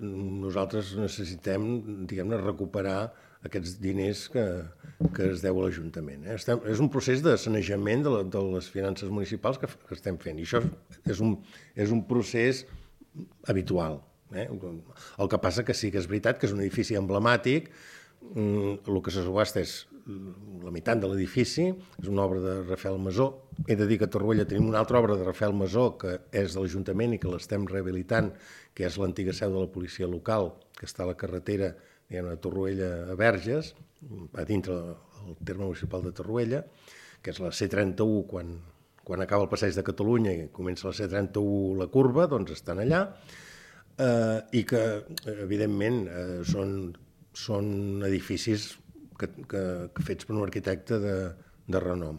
nosaltres necessitem, diguem-ne, recuperar aquests diners que es deu a l'Ajuntament. És un procés de sanejament de les finances municipals que estem fent, i això és un procés habitual. El que passa que sí que és veritat que és un edifici emblemàtic, el que se subhasta és la meitat de l'edifici, és una obra de Rafael Masó. He de dir que a Torroella tenim una altra obra de Rafael Masó que és de l'Ajuntament i que l'estem rehabilitant, que és l'antiga seu de la policia local, que està a la carretera de Torroella a Verges, a dintre del terme municipal de Torroella, que és la C31 quan acaba el Passeig de Catalunya i comença la C31 la curva, doncs estan allà, i que evidentment són edificis fets per un arquitecte de renom.